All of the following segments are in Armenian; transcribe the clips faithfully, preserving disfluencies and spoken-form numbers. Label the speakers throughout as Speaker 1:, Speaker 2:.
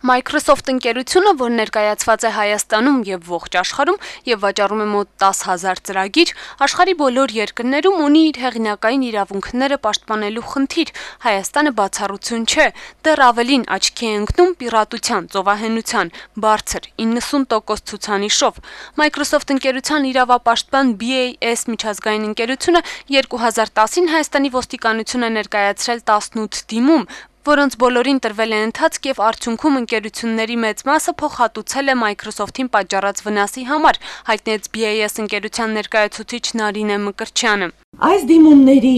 Speaker 1: Microsoft ընկերությունը, որ ներկայացված է Հայաստանում եւ ողջ աշխարհում եւ վաճառում է մոտ տասը հազար ծրագիր, աշխարհի բոլոր երկրներում ունի իր հեղինակային իրավունքները պաշտպանելու խնդիր։ Հայաստանը բացառություն չէ, դեռ ավելին աչքի է ընկնում պիրատության, ծովահենության, բարձր իննսուն տոկոս ցուցանիշով։ Microsoft ընկերության իրավապաշտպան B A S միջազգային ընկերությունը երկու հազար տասին Հայաստանի ոստիկանություն է ներկայացրել տասնութ դիմում, որոնց բոլորին տրվել է ընթացք եւ արդյունքում ընկերությունների մեծ մասը փոխհատուցել է Microsoft-ին պատճառած վնասի համար, հայտնեց B A S ընկերության ներկայացուցիչ Նարինե Մկրտչյանը։
Speaker 2: Այս դիմումների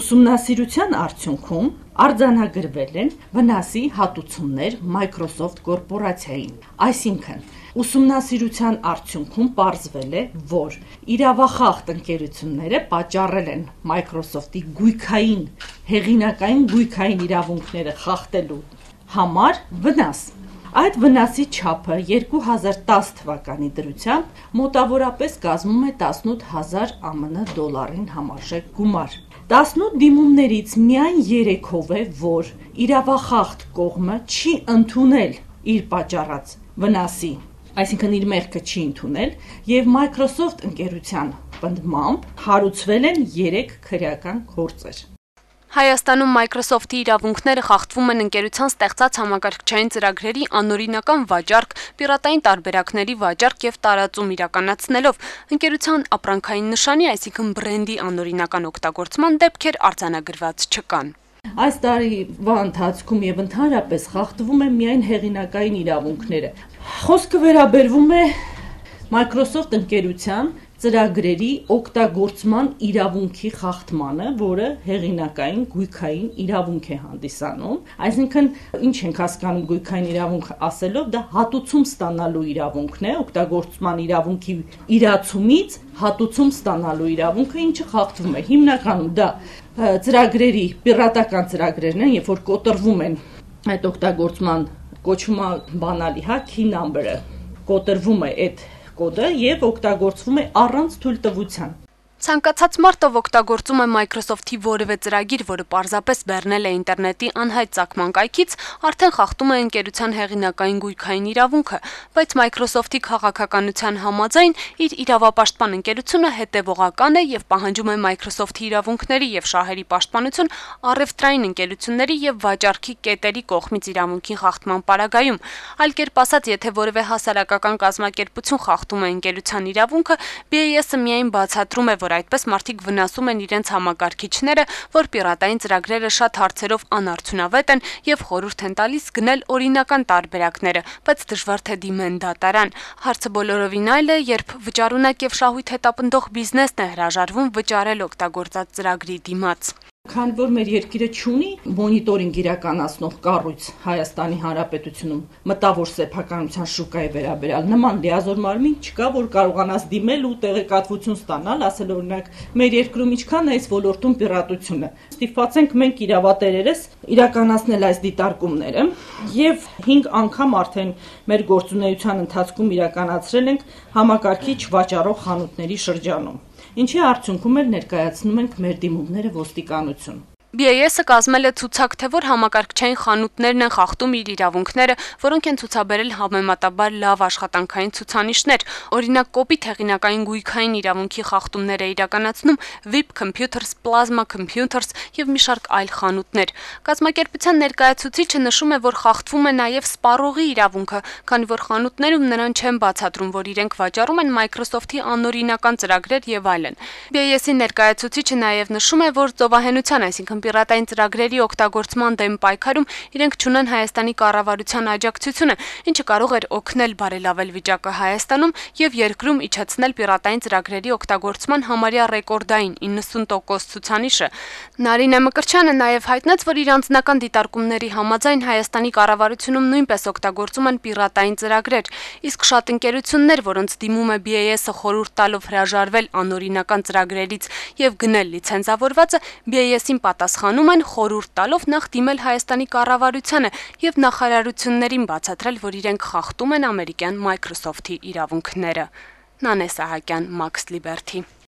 Speaker 2: ուսումնասիրության արդյունքում արձանագրվել են վնասի հատուցումներ Microsoft կորպորացիային, այսինքն ուսումնասիրության արդյունքում պարզվել է, որ իրավախախտ ընկերությունները պատճառել են Microsoft-ի գույքային, հեղինակային գույքային իրավունքները խախտելու համար վնաս։ Այդ վնասի չափը երկու հազար տասը թվականի դրությամբ մոտավորապես կազմում է տասնութ հազար ԱՄՆ դոլարին համարժեք գումար։ տասնութ դիմումներից միայն երեքով է, որ իրավախախտ կողմը չի ընդունել իր պատճառած վնասի, այսինքն իր մեղքը չի ընդունել, եւ Microsoft ընկերության պնդմամբ հարուցվել են երեք քրեական գործեր։
Speaker 1: Հայաստանում Microsoft-ի իրավունքները խախտվում են ընկերության ստեղծած համակարգչային ծրագրերի անօրինական վաճառք, պիրատային տարբերակների վաճառք եւ տարածում իրականացնելով։ Ընկերության ապրանքային նշանի, այսինքն բրենդի անօրինական օգտագործման դեպքեր արձանագրված չկան։
Speaker 2: Այս տարիվա ընթացքում եւ ընդհանրապես խախտվում են միայն հեղինակային իրավունքները։ Խոսքը վերաբերվում է Microsoft ընկերության ծրագրերի օգտագործման իրավունքի խախտմանը, որը հեղինակային գույքային իրավունք է հանդիսանում, այսինքն ինչ ենք հասկանում գույքային իրավունք ասելով, դա հատուցում ստանալու իրավունքն է, օգտագործման իրավունքի իրացումից հատուցում ստանալու իրավունքը, ինչը խախտվում է։ Հիմնականում դա ծրագրերի պիրատական ծրագրերն են, երբ որ կոտրվում են այդ օգտագործման կոչվում է բանալի, հա, key number-ը, կոտրվում է այդ կոդը եւ օգտագործվում է առանց թույլտվության։
Speaker 1: Ցանկացած մարդ, ով օգտագործում է Microsoft-ի որևէ ծրագիր, որը պարզապես բեռնել է ինտերնետի անհայտ ծագման կայքից, արդեն խախտում է ընկերության հեղինակային գույքային իրավունքը, բայց Microsoft-ի քաղաքականության համաձայն իր իրավապաշտպան ընկերությունը հետևողական է եւ պահանջում է Microsoft-ի իրավունքների եւ շահերի պաշտպանություն առևտրային ընկերությունների եւ վաճառքի կետերի կողմից իրավունքի խախտման պարագայում։ Այլ կերպ ասած, եթե որևէ հասարակական կազմակերպություն խախտում է ընկերության իրավունքը, B A S-ը միայն բացատրում է, որ այդպես մարդիկ վնասում են իրենց համակարգիչները, որ պիրատային ծրագրերը շատ հարցերով անարդյունավետ են եւ խորհուրդ են տալիս գնել օրինական տարբերակները, բայց դժվար թե դիմեն դատարան։ Հարցը բոլորովին այլ է, երբ վճարունակ եւ շահույթ հետապնդող բիզնեսն է հրաժարվում վճարել օգտագործած ծրագրի դիմաց։
Speaker 2: Քանի որ մեր երկիրը չունի մոնիտորինգ իրականացնող կառույց Հայաստանի Հանրապետությունում մտավոր սեփականության շուկայի վերաբերյալ նման լիազոր մարմին չկա, որ կարողանաս դիմել ու տեղեկատվություն ստանալ, ասել օրինակ մեր երկրում ինչքան է այս ոլորտում պիրատությունը։ Ստիպված ենք մենք իրավատերերս իրականացնել այս դիտարկումները եւ հինգ անգամ արդեն մեր գործունեության ընթացքում իրականացրել ենք համակարգիչ վաճառող խանութների շրջանում։ Ինչի արդյունքում էլ ներկայացնում ենք մեր դիմումները ոստիկանություն։
Speaker 1: B A S-ը կազմել է ցուցակ, թե որ համակարգչային խանութներն են խախտում իր իրավունքները, որոնք են ցուցաբերել համեմատաբար լավ աշխատանքային ցուցանիշներ։ Օրինակ, կոպիտ հեղինակային գույքային իրավունքի խախտումներ է իրականացնում Vip Computers, Plasma Computers եւ մի շարք այլ խանութներ։ Կազմակերպության ներկայացուցիչը նշում է, որ խախտվում է նաեւ սպառողի իրավունքը, քանի որ խանութներում նրան չեն բացատրում, որ իրենք վաճառում են Microsoft-ի անօրինական ծրագրեր եւ այլն։ B A S-ի ներկայացուցիչը նաեւ նշում է, որ ծովահենության, այսինքն պիրատային ծրագրերի օգտագործման դեմ պայքարում իրենք չունեն Հայաստանի կառավարության աջակցությունը, ինչը կարող էր օգնել բարելավել վիճակը Հայաստանում եւ երկրում իջեցնել պիրատային ծրագրերի օգտագործման համարյա ռեկորդային իննսուն տոկոս ցուցանիշը։ Նարինե Մկրտչյանը նաեւ հայտնեց, որ իր անձնական դիտարկումների համաձայն Հայաստանի կառավարությունում նույնպես օգտագործում են պիրատային ծրագրեր, իսկ շատ ընկերություններ, որոնց դիմում է B A S-ը խորհուրդ տալով հրաժարվել անօրինական ծրագրերից եւ գնել լիցենզավորվածը, B A S-ին պատասխանում են խորհուրդ տալով նախ դիմել Հայաստանի կառավարությանը եւ նախարարություններին բացատրել, որ իրենք խախտում են ամերիկյան Microsoft-ի իրավունքները։ Նանե Սահակյան, Max Liberty։